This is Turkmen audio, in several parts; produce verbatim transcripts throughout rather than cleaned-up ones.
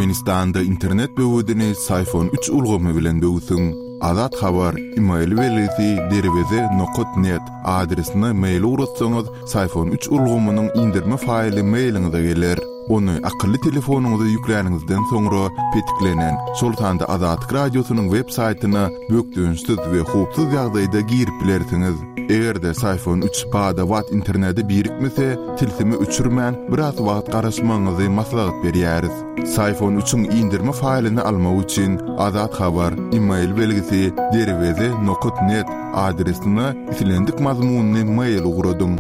Türkmenistanda internet böwedini Syfon üç ulgamy bilen böwsüň. Azat Habar, e-mail belgisi derweze nokat net adresine mail ugratsaňyz, Syfon üç ulgamynyň indirme faýly mailiňize geler. Ony akylly telefonyňyza ýükläniňizden soňra petiklenen, şol sanda Azatlyk radiosynyň web saýtyna bökdençsiz we howpsuz ýagdaýda girip bilersiňiz. Eger-de Syfon üç bada-bat internete birikmese, tilsimi öçürmän biraz wagt garaşmagyňyzy maslahat berýäris. Syfon üçiň indirme faýlyny almak üçin Azat Habar, e-mail belgisi derweze nokat net adresine islendik mazmunyny mail ugradyň.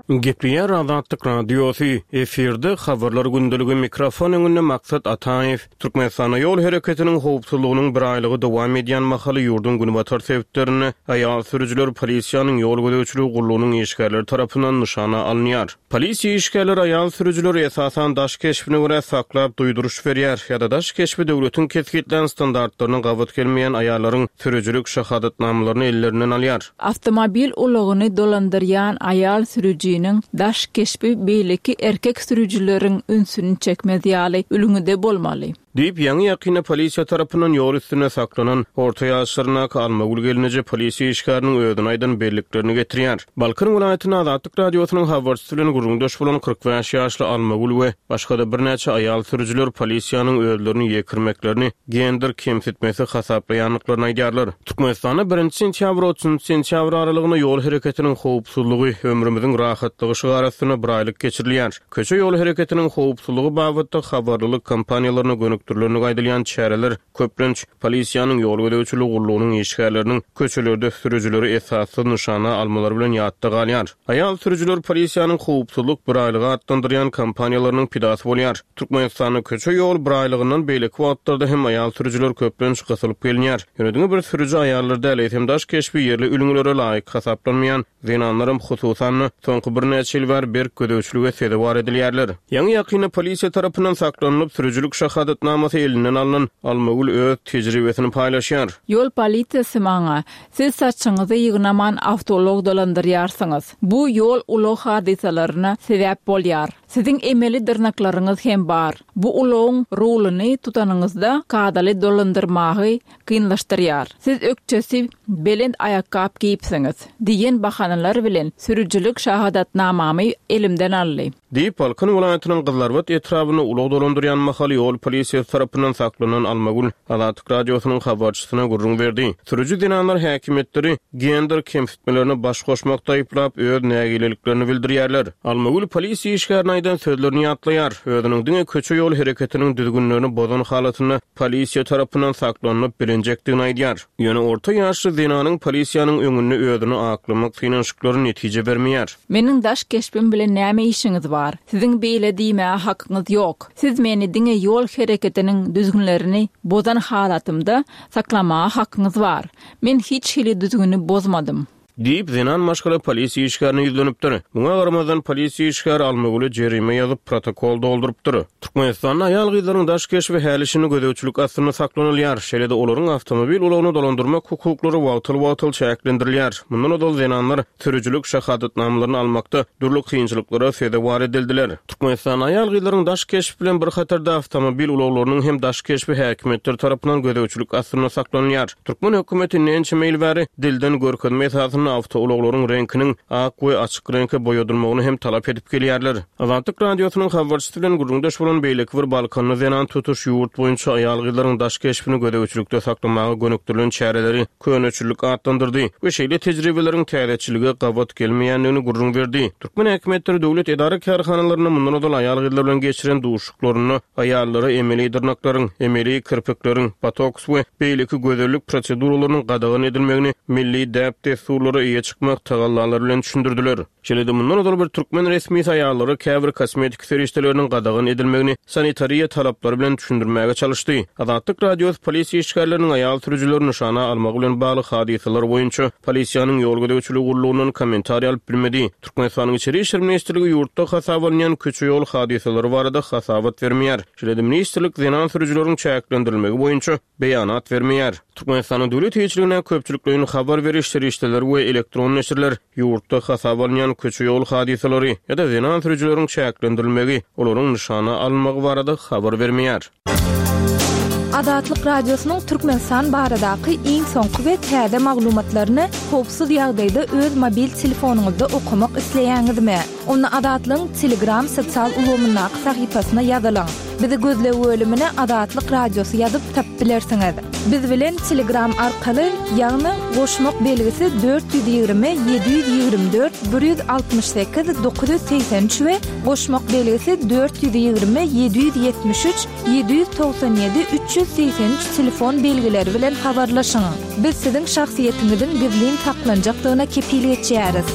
Gepleýär Azatlyk Radiosy, efirde habarlar gündeligi, mikrofon öňünde Maksat Ataýew. Türkmenistanda ýol hereketiniň howpsuzlygynyň bir aýlygy dowam edýän mahaly ýurduň günbatar sebitlerinde aýal sürüjiler polisiýanyň ýol gözegçiligi gullugynyň işgärleri tarapyndan nyşana alynýar. Polisiýa işgärleri aýal sürüjileri esasan daş keşbine görä saklap duýduryş berýär ýa-da daş keşbi döwletiň kesgitlän standartlaryna gabat gelmeýän aýallaryň sürüjilik şahadatnamalaryny ellerinden alýar. Awtomobil ulagyny dolandyrýan aýal sürüjiniň daş keşbi beýleki erkek sürüjileriň ünsüni çekmez ýaly ülňüde bolmaly. Diýip, ýaňy ýakynda polisiýa tarapyndan ýol üstünde saklanan orta ýaşlaryndaky Almagül gelneje polisiýa işgäriniň özüne aýdan belliklerini getirýär. Balkan welaýatynda Azatlyk radiosynyň habarçysy bilen gürrüňdeş bolan kyrk bäş ýaşly Almagül we başga-da birnäçe aýal sürüjiler polisiýanyň özlerini ýekirmeklerini gender kemsitmesi hasaplaýandyklaryny aýdýarlar. Türkmenistanda birinji sentýabr otuzynjy sentýabr aralygynda ýol hereketiniň howpsuzlygy, ömrümiziň rahatlygy şygary astynda bir aýlyk geçirilýär. Köçe ýol hereketiniň howpsuzlygy babatda habarlylyk kampaniýalaryna gönükdirilenligi aýdylýan çäreler köplenç polisiýanyň ýol gözegçiligi gullugynyň işgärleriniň köçelerde sürüjileri esassyz nyşana almalary bilen ýatda galýar. Aýal sürüjiler polisiýanyň howpsuzlyk bir aýlygy atlandyrýan kampaniýalarynyň pidasy bolýar. Türkmenistanda köçe ýol bir aýlygyndan beýleki wagtlarda hem aýal sürüjiler köplenç gysylyp gelinýär. Ýöne diňe bir sürüji aýallar däl, eýsem daş keşbi ýerli ülňülere laýyk hasaplanmaýan zenanlaram hususan-da soňky birnäçe ýyl bäri berk gözegçilige sezewar edilýärler. Ýaňy ýakynda polisiýa tarapyndan saklanylyp sürüjilik şahadatnamasy elinden alnan Almagül öz tejribesini paýlaşýar. Ýol polisiýasy maňa, siz saçyňyzy ýygnaman awtoulag dolandyrýarsyňyz. Bu ýol ulag hadysalaryna sebäp bolýar. Siziň emeli dyrnaklaryňyz hem bar. Bu ulagyň ruluny tutanyňyzda kadaly dolandyrmagy kynlaşdyrýar. Siz ökçesi belent aýakgap giýipsiňiz diýen bahanalar bilen sürüjilik şahadatnamamy elimden aldy. Diýip, Balkan welaýatynyň Gyzlarbat etrabynda ulag dolandyrýan mahaly ýol polisiýasy tarapyndan saklanan Almagül Azatlyk radiosynyň habarçysyna gürrüň berdi. Sürüji zenanlar häkimiýetleri gender kemsitmelerine baş goşmakda aýyplap öz nägileliklerini bildirýärler. Almagül polisiýa işgärine aýdan sözlerini ýatlaýar. Özüniň diňe köçe ýol hereketiniň düzgünlerini bozan halatynda polisiýa tarapyndan saklanyp bilinjekdigini aýdýar. Ýöne orta ýaşly zenanyň polisiýanyň öňünde özüni aklamak synanyşyklary netije bermeýär. Meniň daş keşbim bilen näme işiňiz bar? Siziň beýle diýmäge hakyňyz ýok. Siz meni diňe ýol hereketiniň düzgünlerini bozan halatymda saklamaga hakyňyz bar. Men hiç hili düzgüni bozmadym. Diýip, zenan maşgala polisiýa işgärine ýüzlenipdir. Muňa garamazdan polisiýa işgäri Almagüle jerime ýazyp protokol doldurypdyr. Türkmenistanda aýal gyzlaryň daş keşbi häli-şindi gözegçilik astynda saklanylýar. Şeýle-de olaryň awtomobil ulagyny dolandyrmak hukuklary wagtal-wagtal çäklendirilýär. Mundan ozal zenanlar sürüjilik şahadatnamalaryny almakda dürli kynçylyklara sezewar edildiler. Türkmenistanda aýal gyzlaryň daş keşbi bilen bir hatarda awtomobil ulaglarynyň hem daş keşbi häkimiýetler tarapyndan gözegçilik astynda saklanylýar. Türkmen hökümeti näçe ýyl bäri dilden görkezme esasynda awtoulaglaryň reňkiniň ak we açyk reňke boýadylmagyny hem talap edip gelýärler. Azatlyk radiosynyň habarçysy bilen gürrüňdeş bolan beýleki bir Balkanly zenan tutuş ýurt boýunça aýal gyzlaryň daş keşbini gözegçilikde saklamaga gönükdirilen çäreleri köneçilik atlandyrdy we şeýle tejribeleriň täzeçilige gabat gelmeýändigini gürrüň berdi. Türkmen häkimiýetleri döwlet edara kärhanalarynda mundan ozal aýal gyzlar bilen geçiren duşuşyklarynda aýallara emeli dyrnaklaryň, emeli kirpikleriň, botoks we beýleki gözellik proseduralarynyň gadagan edilmegini milli däp-dessurlara eýe çykmak tagallalary bilen düşündirdiler. Şeýle-de mundan ozal bir türkmen resmisi aýallara käbir kosmetik serişdeleriniň gadagan edilmegini sanitariýa talaplary bilen düşündirmäge çalyşdy. Azatlyk radiosy polisiýa işgärleriniň aýal sürüjileri nyşana almagy bilen bagly hadysalar boýunça polisiýanyň ýol gözegçiligi gullugyndan kommentariý alyp bilmedi. Türkmenistanyň Içeri işler ministrligi ýurtda hasaba alynýan köçe ýol hadysalary barada hasabat bermeýär. Şeýle-de ministrlik zenan sürüjileriň çäklendirilmegi boýunça beýanat bermeýär. Türkmenistanyň döwlet eýeçiligine köpçülikleýin habar beriş serişdeleri we elektron neşirler ýurtda hasaba alynýan bolýan köçe-ýol hadysalary ýa-da zenan sürüjileriň çäklendirilmegi, olaryň nyşana alynmagy barada habar bermeýär. Azatlyk Radiosynyň Türkmenistan baradaky iň soňky we täze maglumatlaryny howpsuz ýagdaýda öz mobil telefonyňyzda okamak isleýäňizmi? Onda Azatlygyň Telegram sosial ulgamyndaky sahypasyna ýazylyň. Bizi gözleg bölümine Azatlyk Radiosy ýazyp tapyp bilersiňiz. Biz bilen Telegram arkaly, ýagny goşmak belgisi dört ýüz ýigrimi ýedi ýüz ýigrimi dört bir ýüz altmyş sekiz dokuz ýüz segsen üç we goşmak belgisi dört ýüz ýigrimi ýedi ýüz ýetmiş üç ýedi ýüz togsan ýedi üç ýüz segsen üç telefon belgileri bilen habarlaşyň. Biz siziň şahsyýetiňiziň gizlin saklanjakdygyna kepil geçýäris.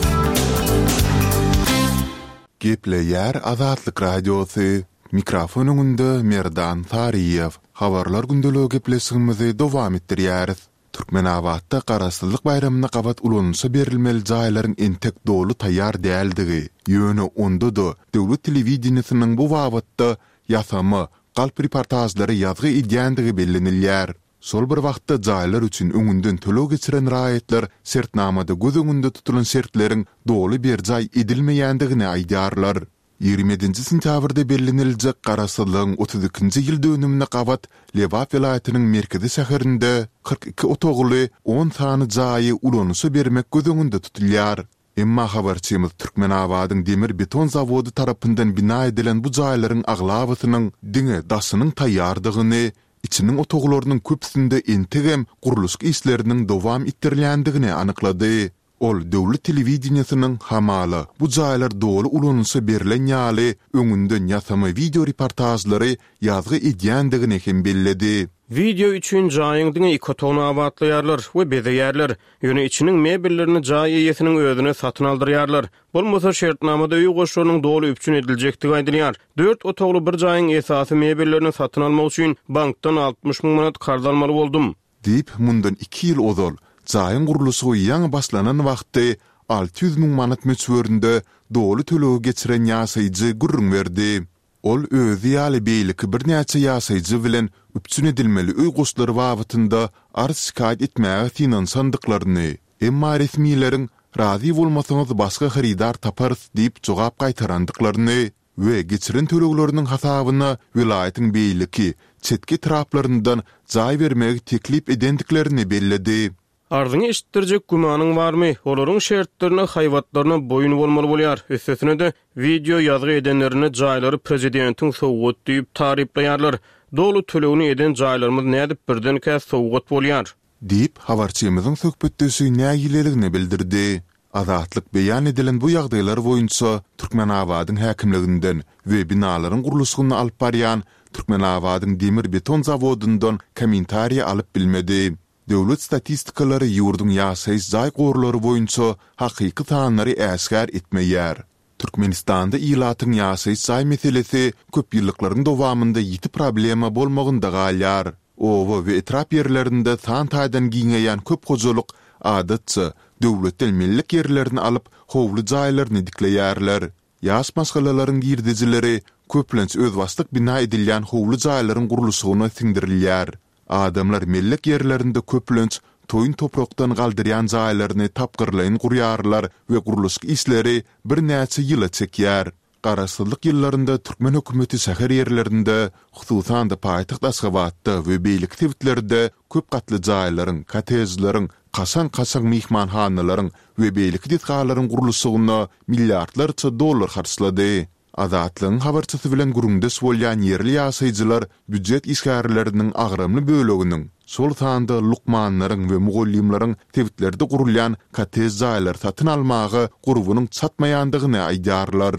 Gepleýär Azatlyk Radiosy, Mikrofon öňünde Merdan Saryýew. Habarlar gündeligi gepleşigimizi dowam etdirýäris. Türkmenabatda Garaşsyzlyk baýramyna gabat ulanyşa berilmeli jaýlaryň entek doly taýýar däldigi, ýöne onda-da döwlet telewideniýesiniň bu babatda ýasama, galp reportažlary ýazgy edýändigi bellenilýär. Şol bir wagtda jaýlar üçin öňünden töleg geçiren raýatlar şertnamada göz öňünde tutulan şertleriň doly berjaý edilmeýändigini aýdýarlar. Ýigrimi ýedinji sentýabrda belleniljek Garaşsyzlygyň otuz ikinji ýyl dönümine gabat Lebap welaýatynyň merkezi şäherinde kyrk iki otagly on sany jaýy ulanyşa bermek göz öňünde tutulýar. Emma habarçymyz Türkmenabadyň demir-beton zawody tarapyndan bina edilen bu jaýlaryň aglabasynyň diňe daşynyň taýýardygyny, içiniň otaglarynyň köpüsinde entegem gurluşyk işleriniň dowam etdirilýändigini anyklady. Ol döwlet telewideniýesiniň hamala bu jaýlar doly ulanyşa berlen ýaly öňünden ýasama wideo reportažlary ýazgy edýändigini hem belledi. Wideo üçin jaýyň diňe iki otagyny abatlaýarlar we bezeýärler. Ýöne içiniň mebellerini jaý eýesiniň özüne satyn aldyrýarlar. Bolmasa şertnamada öý goşlarynyň doly üpjün ediljekdigi aýdylýar. Dört otagly bir jaýyň esasy mebellerini satyn almak üçin bankdan altmyş müň manat karz almaly boldum. Diýip, mundan iki ýyl ozal, jaýyň gurluşygy ýaňy başlanan wagty alty ýüz müň manat möçberinde doly tölegi geçiren ýaşaýjy gürrüň berdi. Ol özi ýaly beýleki birnäçe ýaşaýjy bilen üpjün edilmeli öý goşlary babatynda arz-şikaýat etmäge synanyşandyklaryny, emma resmileriň razy bolmasaňyz başga hyrydar taparys diýip jogap gaýtarandyklaryny we geçiren tölegleriniň hasabyna welaýatyň beýleki, çetki etraplaryndan jaý bermegi teklip edendiklerini belledi. Arzyňy eşitdirjek gümanyň barmy? Olaryň şertlerine, haýbatlaryna boýun bolmaly bolýar. Üstesine-de, wideo ýazgy edenlerinde jaýlary prezidentiň sowgat diýip taryplaýarlar. Doly tölegini eden jaýlarymyz nädip birdenkä sowgat bolýar? Diýip, habarçymyzyň söhbetdeşi nägileligini bildirdi. Azatlyk beýan edilen bu ýagdaýlar boýunça Türkmenabadyň häkimliginden we binalaryň gurluşygyny alyp barýan Türkmenabadyň demir-beton zawodyndan kommentariý alyp bilmedi. Döwlet statistikalary ýurduň ýaşaýyş jaý gorlary boýunça hakyky sanlary äşgär etmeýär. Türkmenistanda ilatyň ýaşaýyş jaý meselesi köp ýyllyklaryň dowamynda ýiti problema bolmagynda galýar. Oba we etrap ýerlerinde san taýdan giňeýän köp hojalyk, adatça, döwletden mellek ýerlerini alyp, howly jaýlaryny dikleýärler. Ýaş maşgalalaryň girdejileri köplenç özbaşdak bina edilýän howly jaýlaryň gurluşygyna siňdirilýär. Adamlar mellek ýerlerinde köplenç toýun toprakdan galdyrýan jaýlaryny tapgyrlaýyn gurýarlar we gurluşyk işleri birnäçe ýyla çekýär. Garaşsyzlyk ýyllarynda türkmen hökümeti şäher ýerlerinde, hususan-da paýtagt Aşgabatda we beýleki sebitlerde köp gatly jaýlaryň, kottejleriň, kaşaň-kaşaň myhmanhanalaryň we beýleki desgalaryň gurluşygyna milliardlarça dollar harçlady. Azatlygyň habarçysy bilen gürrüňdeş bolýan ýerli ýaşaýjylar býujet işgärleriniň agramly böleginiň, şol sanda lukmanlaryň we mugallymlaryň sebitlerde gurulýan kottej jaýlary satyn almaga gurbunyň çatmaýandygyny aýdýarlar.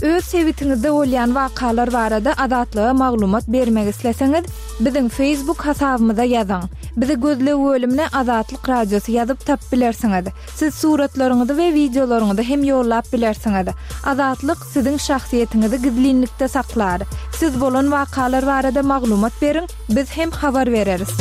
Öz sebitiňizde bolýan wakalar barada Azatlyga maglumat bermek isleseňiz, biziň Facebook hasabymyza ýazyň. Bizi gözleg bölümine Azatlyk Radiosy ýazyp tapyp bilersiňiz. Siz suratlaryňyzy we wideolaryňyzy hem ýollap bilersiňiz. Azatlyk siziň şahsyýetiňizi gizlinlikde saklar. Siz bolan wakalar barada maglumat beriň, biz hem habar bereris.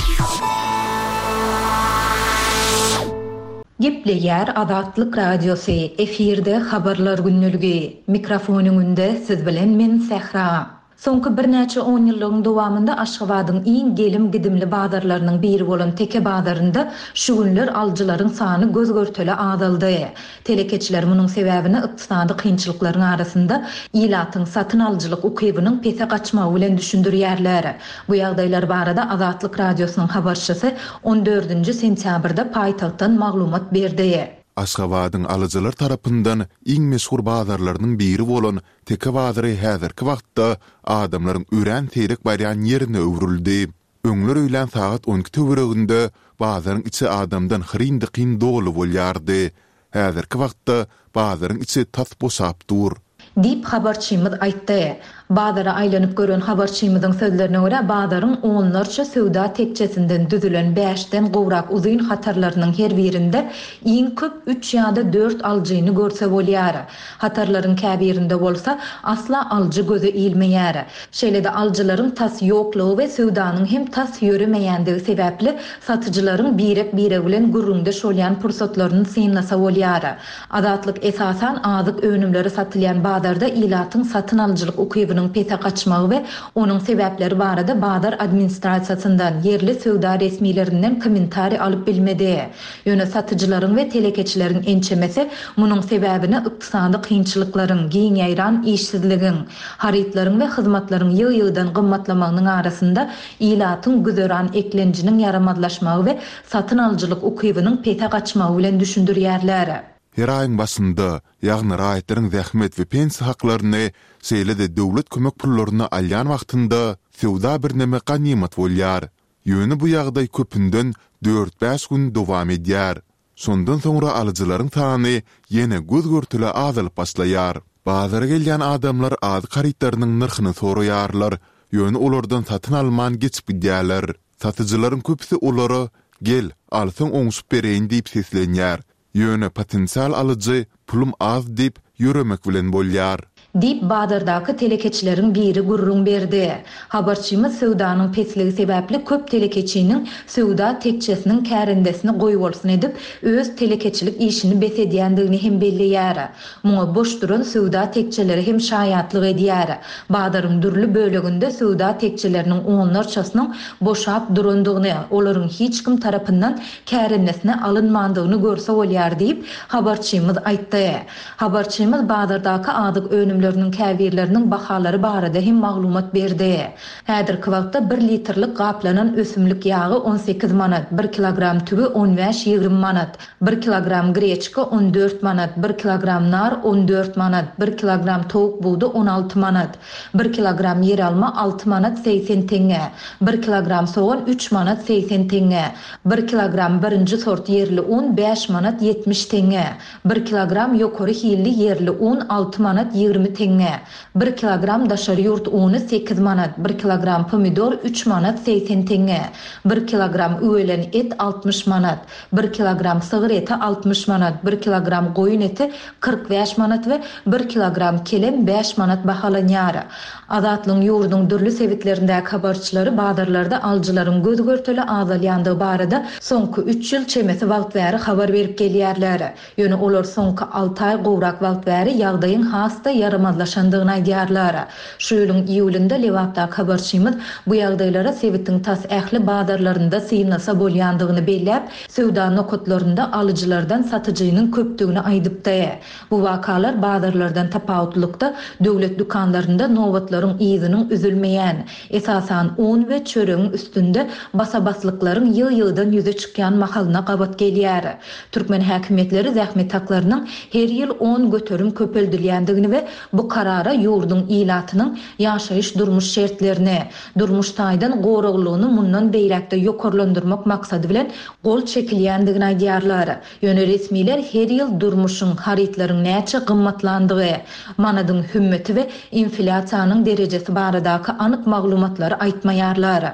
Gepleýär Azatlyk Radiosy, efirde Habarlar gündeligi. Mikrofon öňünde siz bilen men Sähra. Soňky birnäçe onýyllygyň dowamynda Aşgabadyň iň gelim-gidimli bazarlarynyň biri bolan Teke bazarynda şu günler alyjylaryň sany göz-görtele azaldy. Telekeçiler munuň sebäbini ykdysady kynçylyklaryň arasynda ilatyň satyn alyjylyk ukybynyň pese gaçmagy bilen düşündirýärler. Bu ýagdaýlar barada Azatlyk Radiosynyň habarçysy on dördünji sentýabrda paýtagtdan maglumat berdi. Aşgabadyň alyjylar tarapyndan iň meşhur bazarlarynyň biri bolan Teke bazary häzirki wagtda adamlaryň örän seýrek barýan ýerine öwrüldi. Öňler öýlän sagat on iki töwereginde bazaryň içi adamdan hyryn-dykyn doly bolýardy. Häzirki wagtda bazaryň içi tas boşap dur. Diýip, habarçymyz aýtdy. Bazara aýlanyp gören habarçymyzyň sözlerine görä, bazaryň onlarça söwda tekjesinden düzülen bäşden gowrak uzyn hatarlarynyň her birinde iň köp üç ýa-da dört alyjyny görse bolýar. Hatarlaryň käbirinde bolsa asla alyjy göze ilmeýär. Şeýle-de alyjylaryň tas ýoklugy we söwdanyň hem tas ýöremeýändigi sebäpli satyjylaryň birek-biregi bilen gürrüňdeş bolýan pursatlaryny synlasa bolýar. Azatlyk esasan azyk önümleri satylýan bazarda ilatyň satyn alyjylyk ukybynyň pese gaçmagy we onuň sebäpleri barada bazar administrasiýasyndan, ýerli söwda resmilerinden kommentariý alyp bilmedi. Ýöne satyjylaryň we telekeçileriň ençemesi munuň sebäbini ykdysady kynçylyklaryň, giň ýaýran işsizligiň, harytlaryň we hyzmatlaryň ýygy-ýygydan gymmatlamagynyň arasynda ilatyň güzeran eklenjiniň ýaramazlaşmagy we satyn alyjylyk ukybynyň pese gaçmagy bilen düşündirýärler. Her aýyň başynda, ýagny raýatlaryň zähmet we pensiýa haklaryny, şeýle-de döwlet kömek pullaryny alýan wagtynda söwda birneme ganymat bolýar. Ýöne bu ýagdaý köpünden dört-bäş gün dowam edýär. Şondan soňra alyjylaryň sany ýene göz-görtele azalyp başlaýar. Bazara gelýän adamlar azyk harytlarynyň nyrhyny soraýarlar, ýöne olardan satyn alman geçip gidýärler. Satyjylaryň köpüsi olara Gel, alsaň oňşup bereýin diýip seslenýär. Ýöne potensial alyjy pulum az diýip ýöremek bilen bolýar. Diýip, bazardaky telekeçileriň biri gürrüň berdi. Habarçymyz söwdanyň pesligi sebäpli köp telekeçiniň söwda tekçesiniň kärendesini goýbolsun edip, öz telekeçilik işini bes edýändigini hem belleýär. Muňa boş duran söwda tekçeleri hem şaýatlyk edýär. Bazaryň dürli böleginde söwda tekçeleriniň onlarçasynyň boşap durandygyny, olaryň hiç kim tarapyndan kärendesine alynmandygyny görse bolýar diýip, habarçymyz aýtdy. Habarçymyz bazardaky azyk önümleriniň käbirleriniň bahalary barada hem maglumat berdi. Häzirki wagtda bir litrlik gaplanan ösümlik ýagy on sekiz manat, bir kilogram tüwi on bäş ýigrimi manat, bir kilogram greçka on dört manat, bir kilogram nar on dört manat, bir kilogram towuk budy on alty manat, bir kilogram ýeralma alty manat segsen teňňe, bir kilogram sogan üç manat segsen teňňe, bir kilogram birinji sort ýerli un bäş manat ýetmiş teňňe, bir kilogram ýokary hilli ýerli un alty manat ýigrimi teňňe, bir kilogram daşary ýurt uny sekiz manat, bir kilogram pomidor üç manat segsen teňňe, bir kilogram üwelen et altmyş manat, bir kilogram sygyr eti altmyş manat, bir kilogram goýun eti kyrk bäş manat we bir kilogram kelem bäş manat bahalanýar. Azatlygyň ýurduň dürli sebitlerindäki habarçylary bazarlarda alyjylaryň göz-görtele azalýandygy barada soňky üç ýyl çemesi wagt bäri habar berip gelýärler. Ýöne olar soňky alty aý gowrak wagt bäri ýagdaýyň has-da ýaramazlaşandygyny aýdýarlar. Şu ýylyň iýulynda Lebapdaky habarçymyz bu ýagdaýlara sebitiň tas ähli bazarlarynda synlasa bolýandygyny belläp, söwda nokatlarynda alyjylardan satyjynyň köpdügini aýdypdy. Bu wakalar bazarlardan tapawutlykda döwlet dükanlarynda nobatlaryň yzynyň üzülmeýän, esasan un we çöregiň üstünde basabaslyklaryň ýygy-ýygydan ýüze çykýan mahalyna gabat gelýär. Türkmen häkimiýetleri zähmet haklarynyň her ýyl on göterim köpeldilýändigini we bu karara ýurduň ilatynyň ýaşaýyş durmuş şertlerini, durmuş taýdan goraglygyny mundan beýläkde ýokarlandyrmak maksady bilen gol çekilýändigini aýdýarlar. Ýöne resmiler her ýyl durmuşyň, harytlaryň näçe gymmatlandygy, manadyň hümmeti we inflýasiýanyň derejesi baradaky anyk maglumatlary aýtmaýarlar.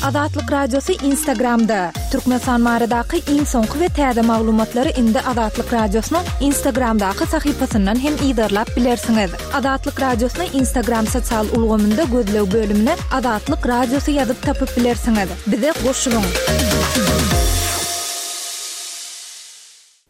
Azatlyk Radiosy Instagramda. Türkmenistan baradaky iň soňky we täze maglumatlary indi Azatlyk Radiosynyň Instagramdaky sahypasyndan hem yzarlap bilersiňiz. Azatlyk Radiosyny Instagram sosial ulgamynda gözleg bölümine Azatlyk Radiosy ýazyp tapyp bilersiňiz. Bize goşulyň.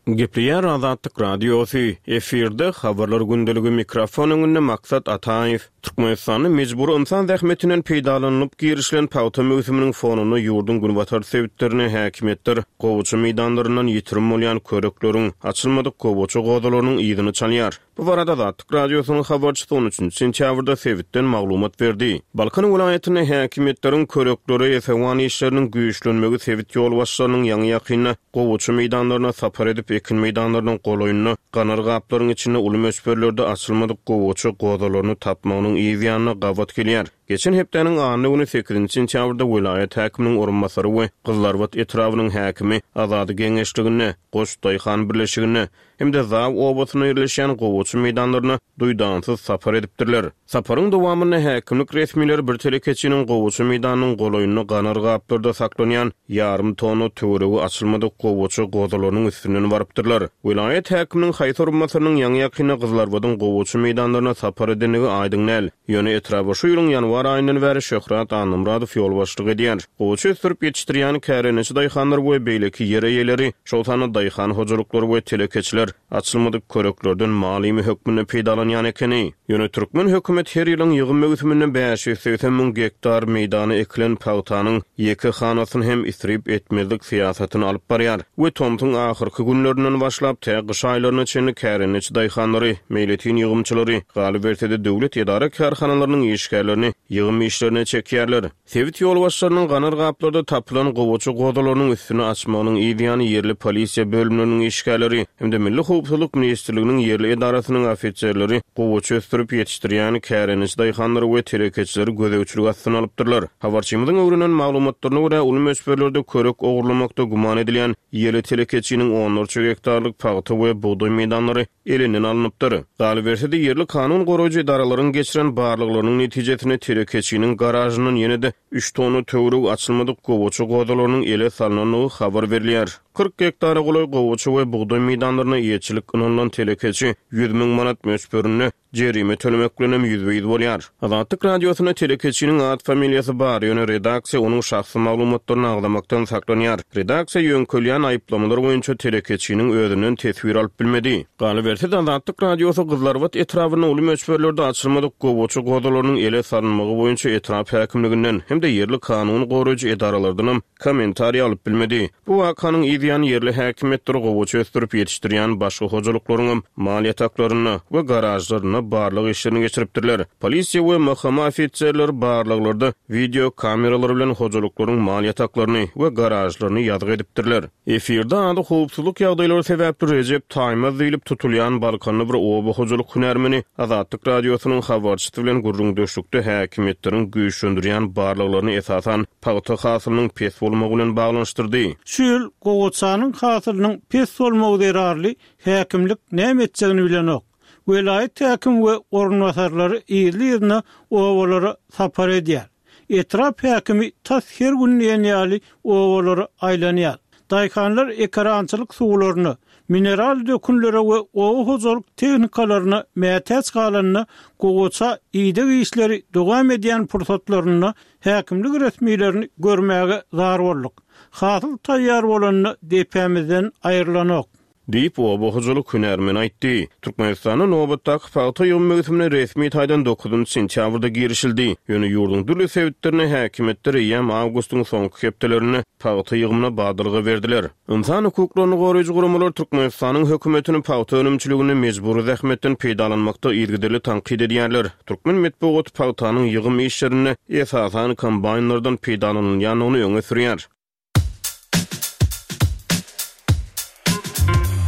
Gepleýär Azatlyk Radiosy, efirde habarlar gündeligi mikrofon öňünde Maksat Ataýew. Türkmenistanda mejbury ynsan zähmetinden peýdalanylyp girişilen pagta möwsüminiň fonunda ýurduň günbatar sebitlerine häkimiýetler gowaça meýdanlaryndan ýitirim bolýan körekleriň, açylmadyk gowaça gozalarynyň yzyny çalýar. Bu barada Azatlyk Radiosynyň habarçysy on üçünji sentýabrda sebitden maglumat berdi. Balkan welaýatynda häkimiýetleriň köreklere esewan işleriniň güýçlenmegi sebit ýolbaşçylarynyň ýaňy-ýakynda gowaça meýdanlaryna sapar edip, ekin meýdanlarynyň golaýynda ganar gaplaryň içinde uly möçberlerde açylmadyk gowaça gozalaryny tapmagynyň yz ýanyna gabat gelýär. Geçen hepdäniň anna güni sekizinji sentýabrda welaýat häkiminiň orunbasary we Gyzlarbat etrabynyň häkimi Azady geňeşliginde, Goç daýhan birleşiginde hem-de Zaw obasynda ýerleşýän gowaça meýdanlaryna duýdansyz sapar edipdirler. Saparyň dowamynda häkimlik resmileri bir telekeçiniň gowaça meýdanynyň golaýynda ganar gaplarda saklanýan ýarym tonna töweregi açylmadyk gowaça gozalarynyň üstünden barypdyrlar. Welaýat häkiminiň haýsy orunbasarynyň ýaňy-ýakynda Gyzlarbadyň gowaça meýdanlaryna sapar edendigi aýdyň däl. Ýöne etraba şu ýylyň ýanwar aýyndan bäri Şöhrat Annamyradow ýolbaşçylyk edýär. Gowaça ösdürip ýetişdirýän kärendeçi daýhanlar we beýleki ýer eýeleri, şol sanda daýhan hojalyklary we telekeçiler açylmadyk köreklerden mal iými hökmünde peýdalanýan ekeni. Ýöne türkmen hökümet her ýylyň ýygym möwsüminde bäş ýüz segsen müň gektar meýdana ekilen pagtanyň ýeke hanasyny hem isrip etmezlik syýasatyny alyp barýar we tomsuň ahyrky günlerinden başlap tä gyş aýlaryna çenli kärendeçi daýhanlary, meýletin ýygymçylary, galyberse-de döwlet edara kärhanalarynyň işgärlerini ýygym işlerine çekýärler. Sebit ýolbaşçylarynyň ganar gaplarda tapylan gowaça gozalarynyň üstüni açmagynyň yz ýany ýerli polisiýa bölümleriniň işgärleri hem-de Milli Howpsuzlyk Ministrliginiň ýerli edarasynyň ofiserleri gowaça ösdürip ýetişdirýän kärendeçi daýhanlary we telekeçileri gözegçilik astyna alypdyrlar. Habarçymyzyň öwrenen maglumatlaryna görä, uly möçberlerde körek ogurlamakda güman edilýän ýerli telekeçiniň onlarça gektarlyk pagta we bugdaý meýdanlary elinden alnypdyr. Galyberse-de ýerli kanun goraýjy edaralaryň geçiren barlaglarynyň netijesinde telekeçiniň garajyndan ýene-de üç tonna töweregi açylmadyk gowaça gozalarynyň ele salynandygy habar berilýär. Kyrk gektara golaý gowaça we bugdaý meýdanlaryna eýeçilik ynanylan telekeçi ýüz müň manat möçberinde jerime tölemek bilen hem ýüzbe-ýüz bolýar. Azatlyk Radiosyna telekeçiniň at familiýasy bar, ýöne redaksiýa onuň şahsy maglumatlaryny agzamakdan saklanýar. Redaksiýa ýöňkelýän aýyplamalar boýunça telekeçiniň özünden teswir alyp bilmedi. Galyberse-de Azatlyk Radiosy Gyzlarbat etrabynda uly möçberlerde açylmadyk gowaça gozalarynyň ele salynmagy boýunça etrap häkimliginden hem-de ýerli kanun goraýjy edaralardan hem kommentariý alyp bilmedi. Bu wakanyň yz ýany ýerli häkimiýetler gowaça ösdürip ýetişdirýän başga hojalyklaryň hem mal ýataklarynda we garažlarynda barlag işlerini geçiripdirler. Polisiýa we M H M ofiserleri barlaglarda video kameralar bilen hojalyklaryň mal ýataklaryny we garažlaryny ýazgy edipdirler. Efirde ady howpsuzlyk ýagdaýlary sebäpli Rejep Taýmaz diýlip tutulýan Balkanly bir oba hojalyk hünärmeni Azatlyk Radiosynyň habarçysy bilen gürrüňdeşlikde häkimiýetleriň güýçlendirýän barlaglaryny esasan pagta hasylynyň pes bolmagy bilen baglanyşdyrdy. Şu ýyl gowaçanyň hasylynyň pes bolmagy zerarly häkimlik näme etjegini bilenok. Welaýat häkim we orunbasarlary ýerli-ýerine obalara sapar edýär. Etrap häkimi tas her gün diýen ýaly obalara aýlanýar. Daýhanlar ekerançylyk suwlaryna, mineral dökünlere we oba hojalyk tehnikalaryna mätäç galanda gowaça ideg işleri dowam edýän pursatlarynda häkimlik resmilerini görmäge zar bolduk. Hasyl taýýar bolanda depämizden aýrylanok. Diýip, oba hojalyk hünärmeni aýtdy. Türkmenistanda nobatdaky pagta ýygym möwsümine resmi taýdan dokuzynjy sentýabrda girişildi. Ýöne ýurduň dürli sebitlerine häkimiýetler eýýäm awgustyň soňky hepdelerinde pagta ýygymyna badalga berdiler. Ynsan hukuklaryny goraýjy guramalar Türkmenistanyň hökümetini pagta önümçiliginde mejbury zähmetden peýdalanmakda yzygiderli tankyt edýärler. Türkmen metbugaty pagtanyň ýygym işlerinde esasan kombaýnlardan peýdalanylýandygyny öňe sürýär.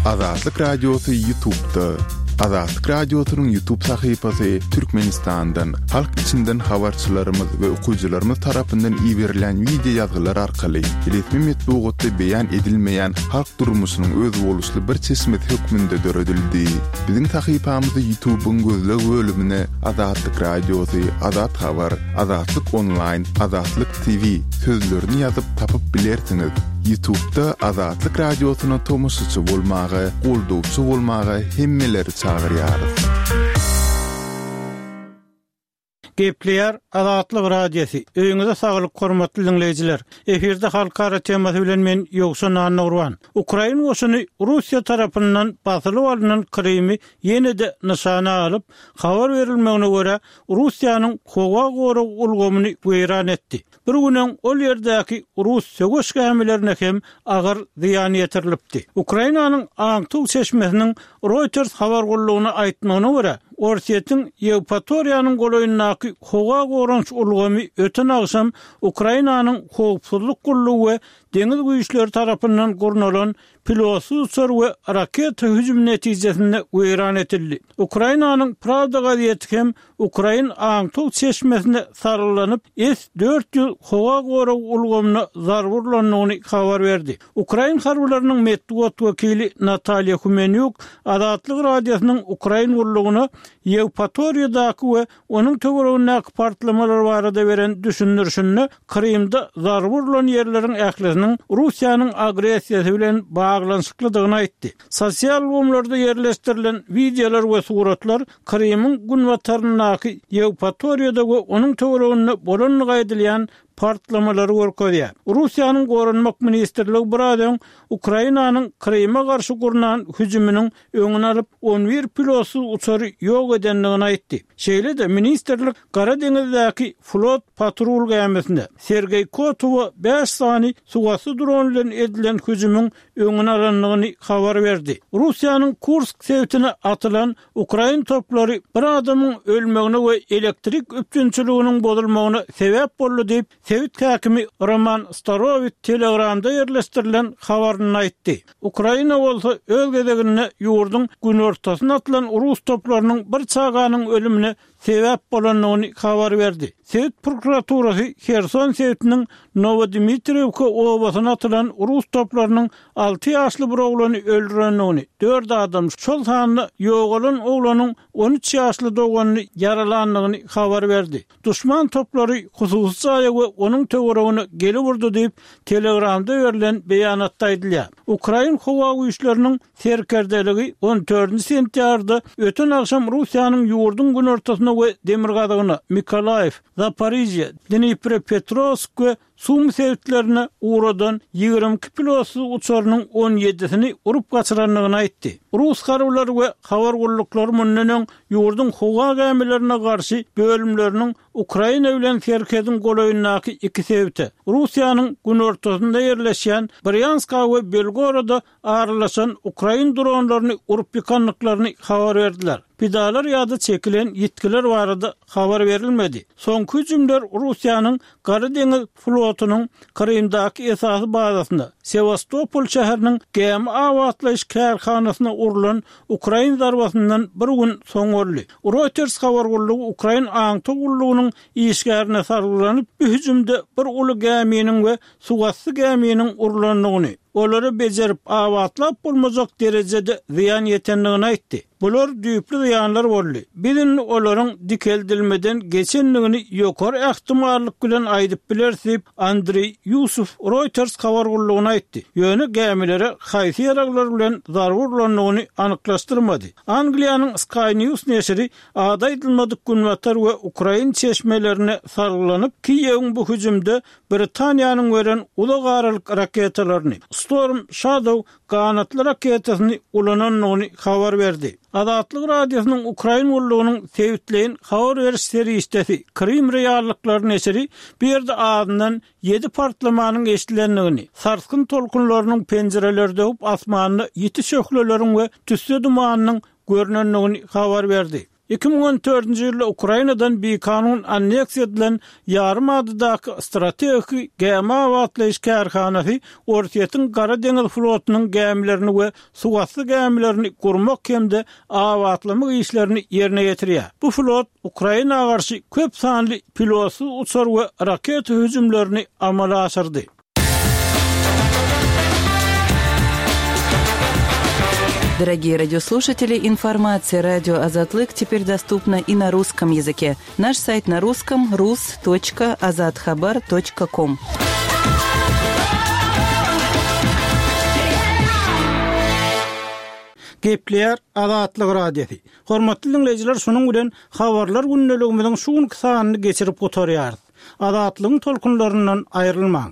Azatlyk Radiosy YouTube'da. Azatlyk Radiosynyň YouTube sahypasy Türkmenistandan, halk içinden habarçylarymyz we okyjylarymyz tarapyndan iberilen video ýazgylar arkaly resmi metbugatda beýan edilmeýän halk durmuşynyň özboluşly bir çeşmesi hökmünde döredildi. Biziň sahypamyzy YouTube'yň gözleg bölümine Azatlyk Radiosy, Azat Habar, Azatlyk Online, Azatlyk T V sözlerini ýazyp tapyp bilersiňiz. YouTube'da Azatlyk Radiosyna tomaşaçy bolmaga, goldawçy bolmaga hemmeleri çagyrýarys. Gepleýär Azatlyk Radiosy. Öýüňize saglyk hormatly diňleýjiler. Efirde halkara temasy bilen men Ýowşan Annagurban. Ukrain goşuny Russiýa tarapyndan basylyp alnan Krymy ýene-de nyşana alyp, habar berilmegine görä, Russiýanyň howa gorag ulgamyny weýran etdi. Bir gün öň ol ýerdäki rus söweş gämilerine hem agyr zyýan ýetirilipdi. Ukrainanyň aňtaw çeşmesiniň Reuters habar gullugyna aýtmagyna görä, Orsýetiň Ýewpatoriýanyň golaýyndaky howa goranyş ulgamy öten agşam Ukrainanyň howpsuzlyk gullugy we deňiz güýçleri tarapyndan gurnalan pilotsyz uçar we raketa hüjümi netijesinde weýran edildi. Ukrainanyň Pravda gazeti hem ukrain aňtaw çeşmesine salgylanyp, S dört ýüz howa gorag ulgamyna zarba urlandygyny habar berdi. Ukrain harbylarynyň metbugat wekili Natalýa Humenýuk Azatlyk Radiosynyň ukrain gullugyna Ýewpatoriýadaky we onuň töweregindäki partlamalar barada beren düşündirişinde Krymda zarba urlan ýerleriň ählisiniň Russiýanyň agressiýasy bilen baglanyşyklydygyny aýtdy. Sosial ulgamlarda ýerleşdirilen wideolar we suratlar Krymyň günbataryndaky Ýewpatoriýada we onuň töwereginde bolandygy aýdylýan partlamalary görkezýär. Russiýanyň Goranmak ministrligi biraz öň Ukrainanyň Kryma garşy gurnan hüjüminiň öňüni alyp, on bir pilotsyz uçary ýok edendigini aýtdy. Şeýle-de ministrlik Gara deňizdäki flot patrul gämisine Sergeý Kotowa bäş sany suwasty dron bilen edilen hüjümiň öňüni alandygyny habar berdi. Russiýanyň Kursk sebitine atylan ukrain toplary bir adamyň ölmegine we elektrik üpjünçiliginiň bozulmagyna sebäp boldy diýip, sebit häkimi Roman Starowit Telegramda ýerleşdirilen habarynda aýtdy. Ukraina bolsa öz gezeginde ýurduň günortasyna atylan rus toplarynyň bir çaganyň ölümine sebäp bolandygyny habar berdi. Sebit prokuraturasy Herson sebitiniň Novodimitriwka obasyna atylan rus toplarynyň alty ýaşly bir oglany öldürendigini, dört adam, şol sanda ýogalan oglanyň on üç ýaşly doganyny ýaralandygyny habar berdi. Duşman toplary hususy jaýa we onuň töweregine gelip urdy diýip, Telegramda berlen beýanatda aýdylýar. Ukrain howa güýçleriniň serkerdeligi on dördünji sentýabrda öten agşam Russiýanyň ýurduň günortasyna we demirgazygyna Mikolaýew, Zaporižýe, Dnipropetrowsk we Sum sebitlerine ugradan ýigrimi iki pilotsyz uçarynyň on ýedisini urup gaçyrandygyny aýtdy. Rus harbylary we habar gulluklary mundan öň ýurduň howa gämilerine garşy bölümleriniň Ukraina bilen serhediň golaýyndaky iki sebite, Russiýanyň günortasynda ýerleşýän Brýanska we Belgoroda aralaşan ukrain dronlaryny urup ýykandyklaryny habar berdiler. Pidalar ýa-da çekilen ýitgiler barada habar berilmedi. Soňky hüjümler Russiýanyň Gara deňiz flotunyň Krymdaky esasy bazasyna, Sewastopol şäheriniň gämi abatlaýyş kärhanasyna urlan ukrain zarbasyndan bir gün soň boldy. Reuters habar gullugy ukrain aňtaw gullugynyň işgärine salgylanyp, bu hüjümde bir uly gäminiň we suwasty gäminiň urlandygyny, olary bejerip abatlap bolmajak derejede zyýan ýetendigini aýtdy. Bular düýpli zyýanlar boldy. Biz indi olaryň dikeldilmeden geçendigini ýokary ähtimallyk bilen aýdyp bileris diýip, Andriý Ýusuf Reuters habar gullugyna aýtdy. Ýöne gämilere haýsy ýaraglar bilen zarba urlandygyny anyklaşdyrmady. Angliýanyň Sky News neşiri ady aýdylmadyk günbatar we ukrain çeşmelerine salgylanyp, Kiýewiň bu hüjümde Britaniýanyň beren uzak aralyk raketalaryny, Storm Shadow ganatly raketasyny ulanandygyny habar berdi. Azatlyk Radiosynyň ukrain gullugynyň sebitleýin habar beriş serişdesi Krym reallyklary neşiri bu ýerde azyndan ýedi partlamanyň eşidilendigini, sarsgyn tolkunlarynyň penjireleri döwüp asmanda ýiti şöhleleriň we tüsse dumanynyň görnendigini habar berdi. Iki müň on dördünji ýylda Ukrainadan bikanun anneksiýa edilen ýarym adadaky strategik gämi abatlaýyş kärhanasy Orsýetiň Gara deňiz flotunyň gämilerini we suwasty gämilerini gurmak hem-de abatlamak işlerini ýerine ýetirýär. Bu flot Ukraina garşy köp sanly pilotsyz uçar we raketa hüjümlerini amala aşyrdy. Дорогие радиослушатели, информация радио Азатлык теперь доступна и на русском языке. Наш сайт на русском rus точка azathabar точка ком. Gepleýär Azatlyk Radiosy. Hormatly diňleýjiler, şunuň bilen habarlar gündeligimiziň şu günki sanyny geçirip gutarýarys. Azatlygyň tolkunlaryndan aýrylmaň.